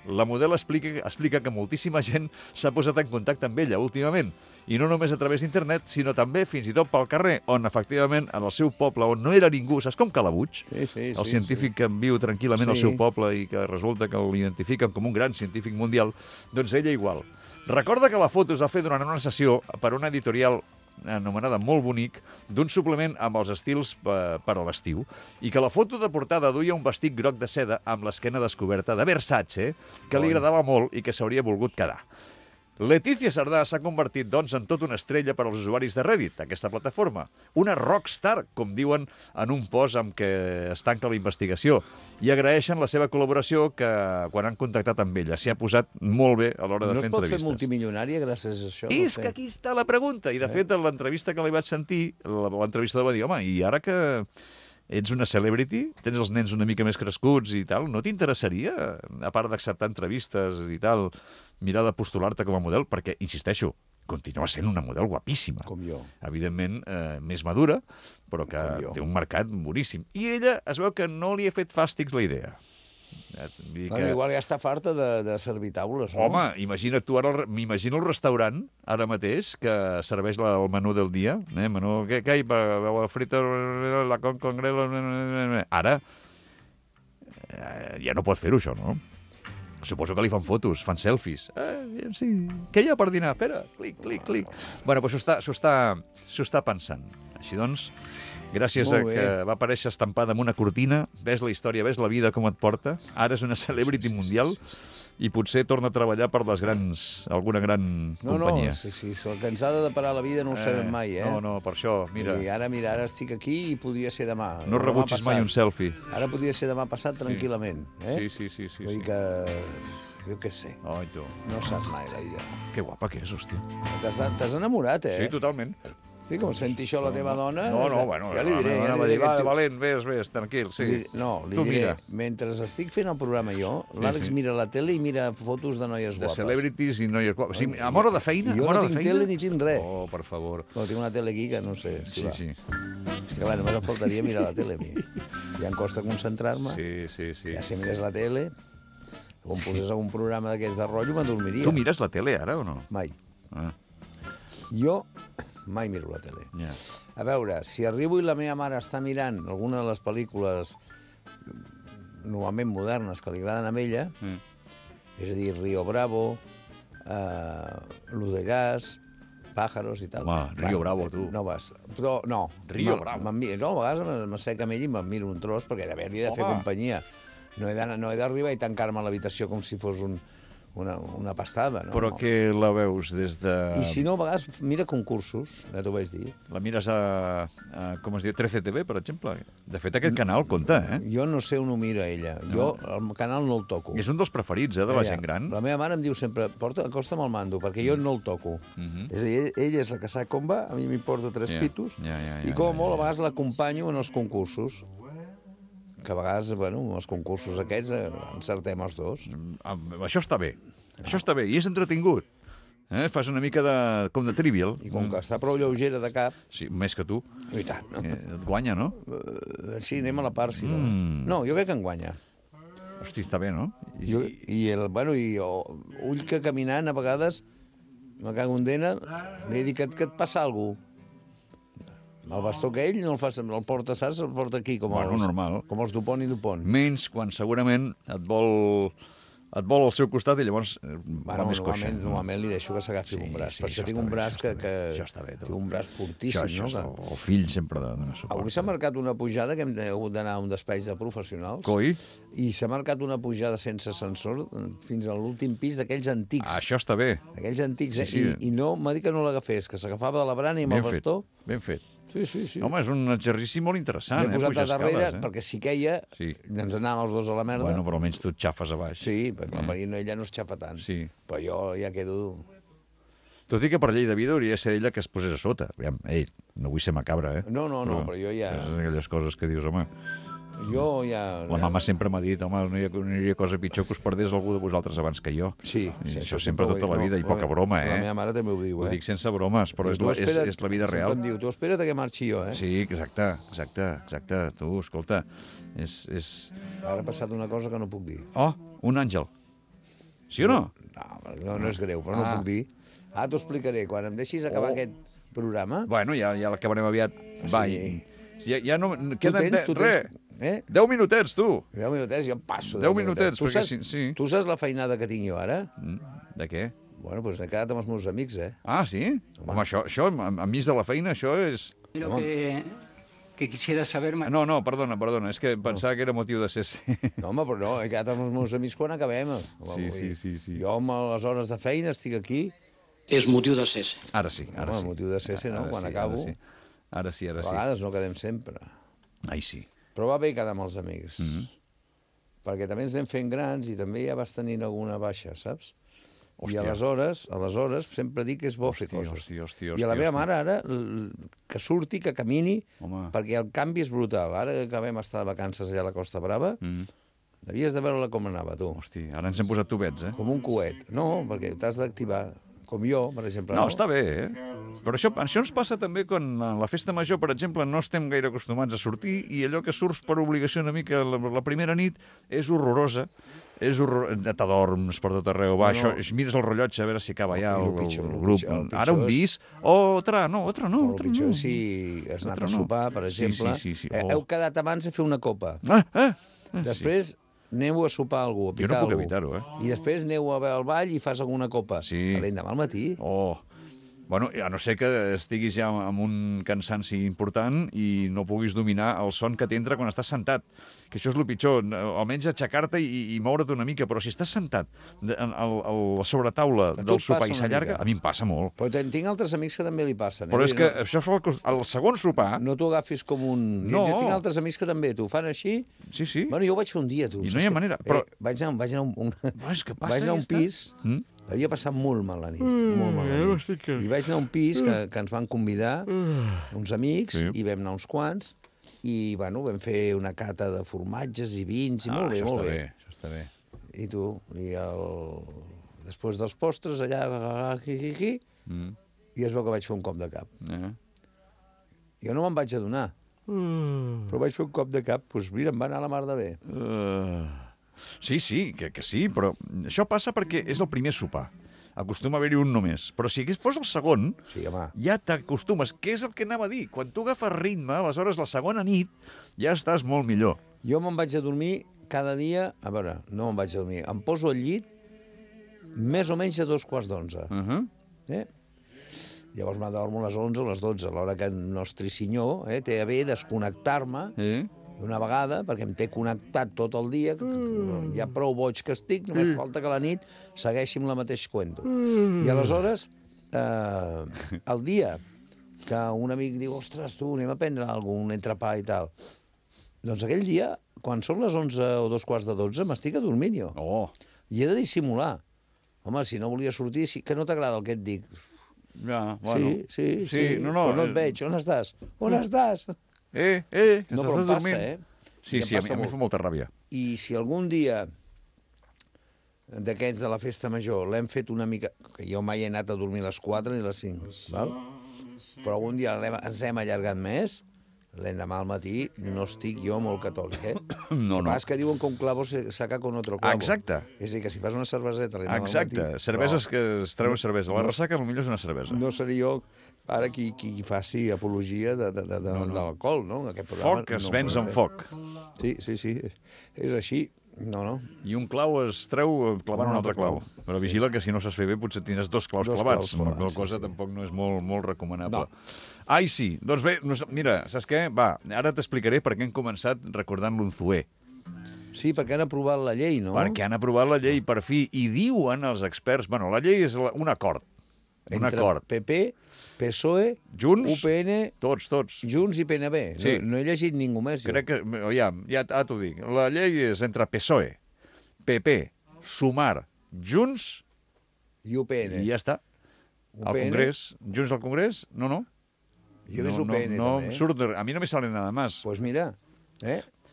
la model explica que moltíssima gent s'ha posat en contacte amb ella últimament, i no només a través d'internet, sinó també fins i tot pel carrer, on efectivament en el seu poble, on no era ningú, saps com Calabuig? El científic que viu tranquil·lament al seu poble i que resulta que l'identifiquen com un gran científic mundial, doncs ella igual. Recorda que la foto es va fer durant una sessió per una editorial anomenada Molt Bonic, d'un suplement amb els estils per a l'estiu, i que la foto de portada duia un vestit groc de seda amb l'esquena descoberta de Versace, que li agradava molt i que s'hauria volgut quedar. Letícia Sardà s'ha convertit, doncs, en tota una estrella per als usuaris de Reddit, aquesta plataforma. Una rockstar, com diuen en un post amb què es tanca la investigació. I agraeixen la seva col·laboració que, quan han contactat amb ella, s'hi ha posat molt bé a l'hora de fer No es pot fer entrevistes. multimilionària gràcies a això? És que aquí està la pregunta. I, de fet, en l'entrevista que li vaig sentir, l'entrevistador va dir, home, i ara que ets una celebrity, tens els nens una mica més crescuts i tal, no t'interessaria, a part d'acceptar entrevistes i tal, mirar de postular-te com a model? Perquè, insisteixo, continua sent una model guapíssima. Com jo. Evidentment, més madura, però que té un mercat boníssim. I ella es veu que no li ha fet fàstics la idea. Bueno, igual ja està farta de servir taules, no? Home, imagina't tu ara, m'imagino el restaurant, ara mateix, que serveix el menú del dia, menú, què hi ha? Frita, la congrela... Ara, ja no pot fer-ho, això, no? Suposo que li fan fotos, fan selfies. Sí, què hi ha per dinar? Espera, clic, clic, clic. Bueno, però s'ho està pensant. Així doncs, gràcies a que va aparèixer estampada en una cortina, ves la història, ves la vida com et porta, ara és una celebrity mundial i potser torna a treballar per alguna gran companyia. Sí, el que ens ha de parar la vida no ho sabem mai, No, per això, mira. I ara estic aquí i podria ser demà. No rebutgis mai un selfie. Ara podria ser demà passat tranquil·lament. Sí. Vull dir que... Jo què sé. Ai, tu. No saps mai la vida. Que guapa que és, hòstia. T'has enamorat, Sí, totalment. Sí, com senti això la teva dona... Bueno, ja li diré. Valent, ves, tranquil, sí. Li diré, mentre estic fent el programa jo, l'Àlex mira la tele i mira fotos de noies guapes. De celebrities i noies guapes. Sí, a hora de feina? Jo no tinc tele ni tinc res. Oh, per favor. No, tinc una tele aquí que no sé si va. Sí. És que, clar, només em faltaria mirar la tele a mi. Ja em costa concentrar-me. Sí. Ja si mirés la tele, quan posés algun programa d'aquests de rotllo, m'adormiria. Tu mires la tele ara o no? Mai. Ah. Jo mai miro la tele. Ja. A veure, si arribo i la meva mare està mirant alguna de les pel·lícules normalment modernes que li agraden a ella, és a dir, Río Bravo, Luz de Gas, Pájaros i tal. Home, Río Bravo, tu. No vas. Però, no. Río Bravo. No, a vegades m'assec amb ell i me'n miro un tros perquè d'haver-li de fer companyia. No he d'arribar i tancar-me a l'habitació com si fos una pastada, no? Però que la veus des de... I si no, a vegades mira concursos, ja t'ho vaig dir. La mires a com es diu, 13TV, per exemple. De fet, aquest canal compta, Jo no sé on ho mira ella. Jo el canal no el toco. És un dels preferits, de la gent gran. La meva mare em diu sempre, acosta'm el mando, perquè jo no el toco. És a dir, ella és la que sap com va, a mi m'importa 3 pitos, i com a molt a vegades l'acompanyo en els concursos. Que a vegades, els concursos aquests encertem els dos. Això està bé. I és entretingut. Fas una mica com de trivial. I com que està prou lleugera de cap... Sí, més que tu. I tant. Et guanya, no? Sí, anem a la part, si no. No, jo crec que em guanya. Hosti, està bé, no? Ull que caminant, a vegades, me cago en dena, li he dit que et passa alguna cosa. El bastó que ell no el fa, el porta, saps? El porta aquí, com els Dupont i Dupont. Menys quan segurament et vol al seu costat i llavors va més coixa. Normalment li deixo que s'agafi un braç. Per això tinc un braç que... Això està bé, tu. Tinc un braç fortíssim, no? El fill sempre dona suport. Avui s'ha marcat una pujada que hem hagut d'anar a un despatx de professionals. Coi? I s'ha marcat una pujada sense ascensor fins a l'últim pis d'aquells antics. Això està bé. Aquells antics, I no, m'ha dit que no l'agafés, que s'agafava de la brana i amb el bastó... Ben fet. Sí. Home, és un exercici molt interessant, M'he posat a darrere, escales, perquè si queia, ens anàvem els dos a la merda. Bueno, però almenys tu et xafes a baix. Sí, perquè la Marina ella no es xafa tant. Sí. Però jo ja quedo... Tot i que per llei de vida hauria de ser ella que es posés a sota. Aviam, no vull ser macabra, No, però jo ja... És aquelles coses que dius, home... Jo ja... La mama sempre m'ha dit, home, no hi hauria cosa pitjor que us perdés algú de vosaltres abans que jo. Sí. Això sempre tota la vida, i poca broma, La meva mare també ho diu, Ho dic sense bromes, però és la vida real. Em diu, tu espera't que marxi jo, Sí, exacte. Tu, escolta, és... Ara ha passat una cosa que no puc dir. Oh, un àngel. Sí o no? No és greu, però no puc dir. T'ho explicaré. Quan em deixis acabar aquest programa... Bueno, ja l'acabarem aviat. Va, ja no... Tu tens... 10 minutets, tu. 10 minutets, jo em passo 10 minutets, perquè sí. Tu saps la feinada que tinc jo ara? De què? Bueno, doncs he quedat amb els meus amics, Ah, sí? Home, això, enmig de la feina, això és... Lo que quisiera saber... No, perdona, és que pensava que era motiu de ser... No, home, però no, he quedat amb els meus amics quan acabem. Sí. Jo amb les hores de feina estic aquí és motiu de cesse. Ara sí, ara Home, sí. motiu de cesse, no? Quan acabo. Ara sí. A vegades no quedem sempre. Ai, sí. Però va bé quedar amb els amics. Perquè també ens anem fent grans i també ja vas tenint alguna baixa, saps? Hòstia. I aleshores sempre dic que és bo fer coses. Hòstia. I a la meva mare ara, que surti, que camini, Home. perquè el canvi és brutal. Ara que vam estar de vacances allà a la Costa Brava, devies de veure-la com anava, tu. Hosti, ara ens hem posat tubets, eh? Com un coet. No, perquè t'has d'activar. Com jo, per exemple. No, està bé, eh? Però això ens passa també quan a la festa major, per exemple, no estem gaire acostumats a sortir i allò que surts per obligació una mica la primera nit és horrorosa. T'adorms per tot arreu, va, això, mires el rellotge a veure si acaba ja el grup. Ara un bis, altre no. El pitjor és si has anat a sopar, per exemple. Sí. Heu quedat abans a fer una copa. Després aneu a sopar a algú, a picar jo no puc algú. evitar-ho, eh? I després aneu a veure el ball i fas alguna copa. Sí. L'endemà al matí. Bueno, a no ser que estiguis ja amb un cansanci important i no puguis dominar el son que t'entra quan estàs sentat. Que això és el pitjor, almenys aixecar-te i moure't una mica, però si estàs sentat a la sobretaula del sopar i s'allarga, a mi em passa molt. Però tinc altres amics que també li passen. Però és que això fa el segon sopar... No t'ho agafis com un... No. Jo tinc altres amics que també t'ho fan així. Sí. Bueno, jo ho vaig fer un dia, tu. I no hi ha manera. Però... Vaig anar a un pis... Havia passat molt mal la nit, molt mal la nit. I vaig anar a un pis que ens van convidar, uns amics, i vam anar uns quants, i, bueno, vam fer una cata de formatges i vins, i molt bé, molt bé. Això està bé. I tu, després dels postres, allà, i es veu que vaig fer un cop de cap. Jo no me'n vaig adonar, però vaig fer un cop de cap, doncs mira, em va anar la mar de bé. Sí, que sí, però això passa perquè és el primer sopar. Acostuma a haver-hi un només. Però si fos el segon, ja t'acostumes. Què és el que anava a dir? Quan tu agafes ritme, aleshores la segona nit ja estàs molt millor. Jo me'n vaig a dormir cada dia... A veure, no me'n vaig a dormir. Em poso al llit més o menys a 2:15. Llavors m'adormo a les 11 o les 12, a l'hora que el nostre senyor té a bé desconnectar-me d'una vegada, perquè em té connectat tot el dia, ja prou boig que estic, només falta que la nit segueixi amb la mateix cuento. I aleshores, el dia que un amic diu, ostres, tu, anem a prendre alguna cosa, un entrepà i tal, doncs aquell dia, quan són les 11 o 11:15, m'estic adormint jo. I he de dissimular. Home, si no volia sortir, que no t'agrada el que et dic. Ja, bueno. Sí. Però no et veig. On estàs? On estàs? No, però em passa, Sí, a mi fa molta ràbia. I si algun dia d'aquests de la festa major l'hem fet una mica... Que jo mai he anat a dormir a les 4 ni a les 5, val? Però algun dia ens hem allargat més, l'endemà al matí no estic jo molt catòlic, No. El que diuen que un clavo saca con otro clavo. Exacte. És a dir, que si fas una cerveseta l'endemà al matí... Exacte, cerveses que es treuen cervesa. La ressaca potser és una cervesa. No seré jo ara qui faci apologia de l'alcohol, no? Foc es venç amb foc. Sí, és així. No. I un clau es treu clavant un altre clau. Però vigila que si no saps fer bé potser tindràs dos claus clavats. La cosa tampoc no és molt recomanable. Ai, sí. Doncs bé, mira, saps què? Va, ara t'explicaré per què hem començat recordant l'Unzué. Sí, perquè han aprovat la llei, no? Perquè han aprovat la llei, per fi. I diuen els experts... Bueno, la llei és un acord. Entre PP, PSOE, Junts, UPN... Tots. Junts i PNB. Sí. No he llegit ningú més. Crec que... Ja t'ho dic. La llei és entre PSOE, PP, Sumar, Junts... I UPN. I ja està. Al Congrés. Junts al Congrés? No. Jo ves UPN, també. Surt, a mi no me sale nada más. Pues mira,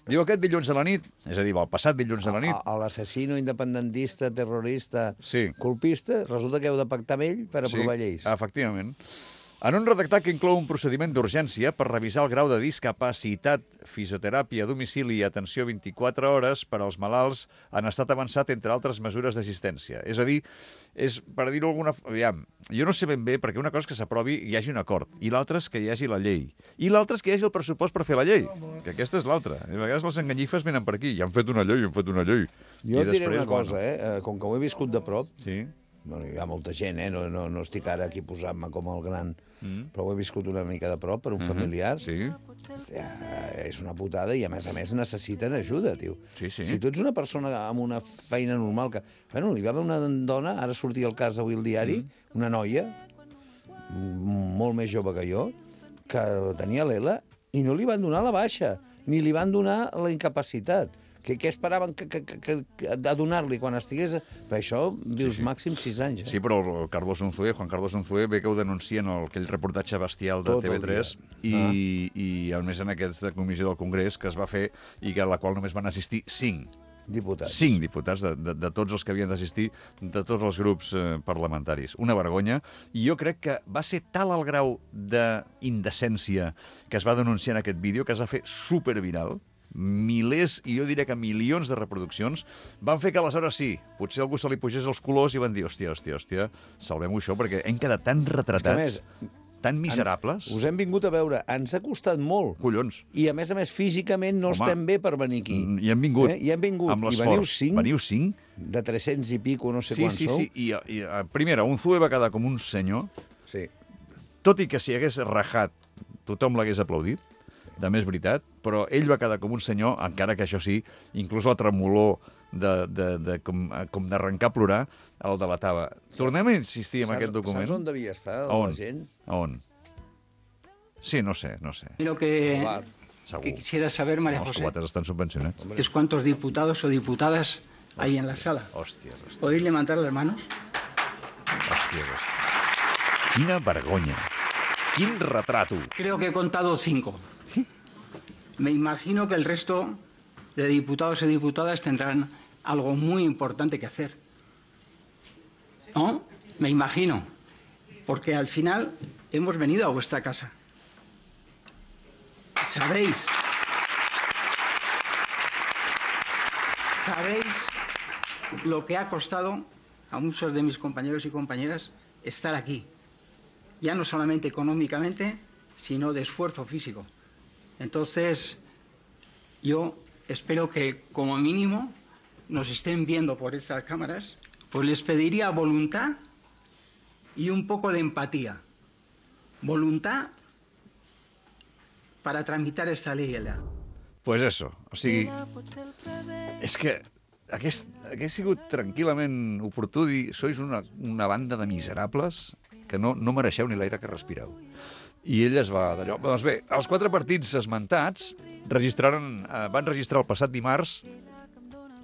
Diu aquest dilluns a la nit, és a dir, el passat dilluns a la nit... L'assassino independentista, terrorista, colpista, resulta que heu de pactar amb ell per aprovar lleis. Efectivament. En un redactat que inclou un procediment d'urgència per revisar el grau de discapacitat, fisioteràpia a domicili i atenció 24 hores per als malalts en estat avançat, entre altres mesures d'assistència. És a dir, per dir-ho alguna... Aviam, jo no sé ben bé, perquè una cosa és que s'aprovi i hi hagi un acord, i l'altra és que hi hagi la llei, i l'altra és que hi hagi el pressupost per fer la llei, que aquesta és l'altra. A vegades les enganyifes venen per aquí, i han fet una llei. Jo et diré una cosa, com que ho he viscut de prop, Bueno, hi ha molta gent, no estic ara aquí posant-me com el gran, però ho he viscut una mica de prop per un familiar. Sí. Hòstia, és una putada i, a més necessiten ajuda, tio. Sí. Si tu ets una persona amb una feina normal que... Bueno, hi va haver una dona, ara sortia al cas avui al diari, una noia, molt més jove que jo, que tenia l'ELA i no li van donar la baixa, ni li van donar la incapacitat. Què esperaven de donar-li quan estigués... Per això, dius, màxim 6 anys. Sí, però el Juan Carlos Unzué, ve que ho denuncien en aquell reportatge bestial de TV3 i a més en aquesta comissió del Congrés que es va fer i a la qual només van assistir 5 diputats. 5 diputats de tots els que havien d'assistir, de tots els grups parlamentaris. Una vergonya. I jo crec que va ser tal el grau d'indecència que es va denunciar en aquest vídeo que es va fer superviral, milers, i jo diria que milions de reproduccions, van fer que aleshores sí, potser algú se li pugés els colors i van dir, hòstia, salvem-ho això, perquè hem quedat tan retratats, tan miserables. Us hem vingut a veure, ens ha costat molt. Collons. I a més, físicament no estem bé per venir aquí. I hem vingut. I hem vingut. Amb I l'esforç. Veniu 5? De 300 i pico, no sé quants sou. Sí. I primera, Unzué va quedar com un senyor. Sí. Tot i que si hagués rajat, tothom l'hagués aplaudit. De més veritat, però ell va quedar com un senyor, encara que això sí, inclús la tremolor com d'arrencar a plorar el delatava. Tornem a insistir en aquest document. Saps on devia estar la gent? On? Sí, no sé. Lo que quisiera saber, María Els José, cubates estan subvencionats. es cuántos diputados o diputadas hay en la sala. Hòstia. ¿Podéis levantar las manos? Hòstia. Quina vergonya. Quin retrato. Creo que he contado 5. Me imagino que el resto de diputados y diputadas tendrán algo muy importante que hacer. ¿No? Me imagino. Porque al final hemos venido a vuestra casa. Sabéis lo que ha costado a muchos de mis compañeros y compañeras estar aquí. Ya no solamente económicamente, sino de esfuerzo físico. Entonces, yo espero que, como mínimo, nos estén viendo por esas cámaras, pues les pediría voluntad y un poco de empatía. Voluntad para tramitar esta ley. Pues eso, o sigui, és que hagués sigut tranquil·lament oportú dir sois una banda de miserables que no mereixeu ni l'aire que respireu. I ell es va d'allò. Doncs bé, els 4 partits esmentats van registrar el passat dimarts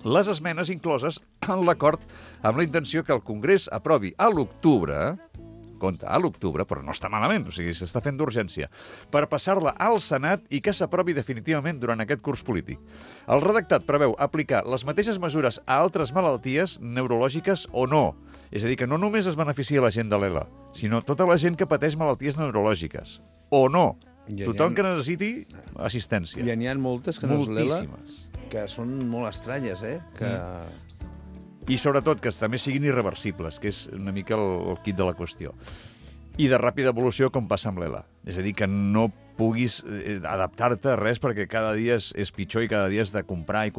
les esmenes incloses en l'acord amb la intenció que el Congrés aprovi a l'octubre, però no està malament, o sigui, s'està fent d'urgència, per passar-la al Senat i que s'aprovi definitivament durant aquest curs polític. El redactat preveu aplicar les mateixes mesures a altres malalties neurològiques o no. És a dir, que no només es beneficia la gent de l'ELA, sinó tota la gent que pateix malalties neurològiques. O no. Tothom que necessiti assistència. I n'hi ha moltes que no és l'ELA, moltíssimes, que són molt estranyes, que... I sobretot que també siguin irreversibles, que és una mica el quid de la qüestió. I de ràpida evolució com passa amb l'ELA. És a dir, que no puguis adaptar-te a res perquè cada dia és pitjor i cada dia has de comprar.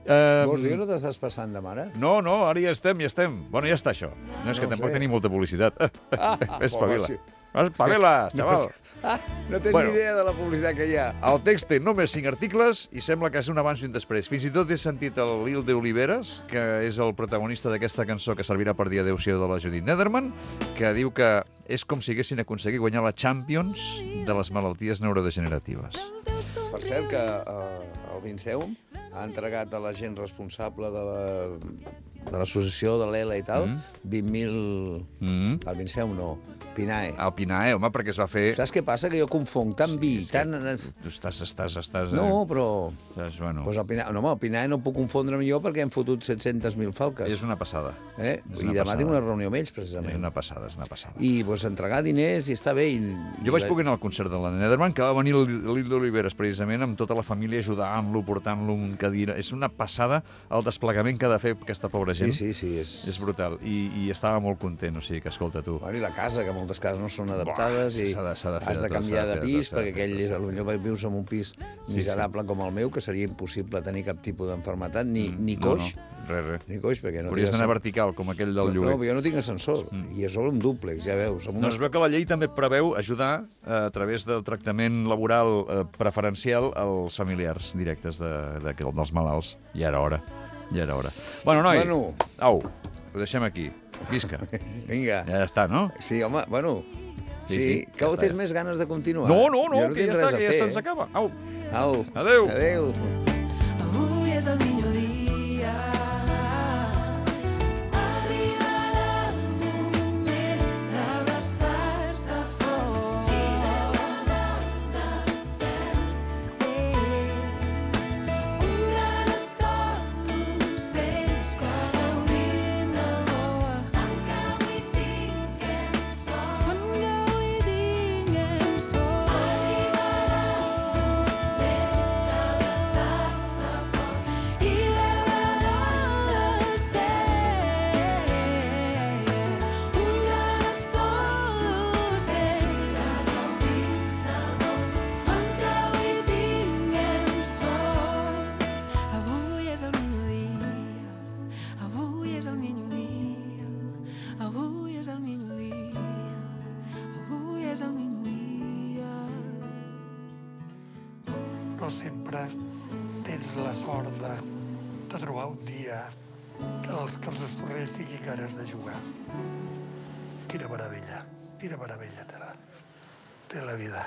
Vols dir que no t'estàs passant de mare? No, ara ja estem. Bueno, ja està això. No, és que tampoc tenim molta publicitat. Espavila. Espavila, xaval. No tens ni idea de la publicitat que hi ha. El text té només 5 articles i sembla que és un abans i un després. Fins i tot he sentit el Lil de Oliveres, que és el protagonista d'aquesta cançó que servirà per dir adéu-siau de la Judith Nederman, que diu que és com si haguessin aconseguit guanyar la Champions de les malalties neurodegeneratives. Per cert que el Vinceum ha entregat a la gent responsable de l'associació de l'ELA i tal 20.000... El Vinceum no, PINAE. El PINAE, home, perquè es va fer... Saps què passa? Que jo confonc tant vi, tant... Tu estàs... No, però... Bueno. Pues el PINAE no puc confondre amb jo perquè hem fotut 700.000 falques. És una passada. I demà tinc una reunió amb ells, precisament. És una passada. I entregar diners i està bé. Jo vaig poder anar al concert de la Nederman, que va venir l'Il d'Oliveres, precisament, amb tota la família ajudant-lo, portant-lo en cadira. És una passada el desplegament que ha de fer aquesta pobra gent. Sí. És brutal. I estava molt content, o sigui que, escolta, tu... Bueno, i la casa, que moltes cases no són adaptades i has de canviar de pis, perquè aquell potser vius en un pis miserable com el meu, que seria impossible tenir cap tipus d'enfermetat, ni coix. Res. Ni coix, perquè no... Hauries d'anar vertical, com aquell del lloguer. No, jo no tinc ascensor, i és sobre un dúplex, ja veus. No, es veu que la llei també preveu ajudar a través del tractament laboral preferencial als familiars directes dels malalts. Ja era hora. Bueno, noi, au, ho deixem aquí. Visca. Vinga. Ja està, no? Sí, home, bueno... Sí, que ja tens més ganes de continuar. No, que ja està, que ja se'ns acaba. Au. Adéu. Avui és el millor dia. No sempre tens la sort de trobar un dia que els estornells tinguin ganes de jugar. Quina meravella té la vida.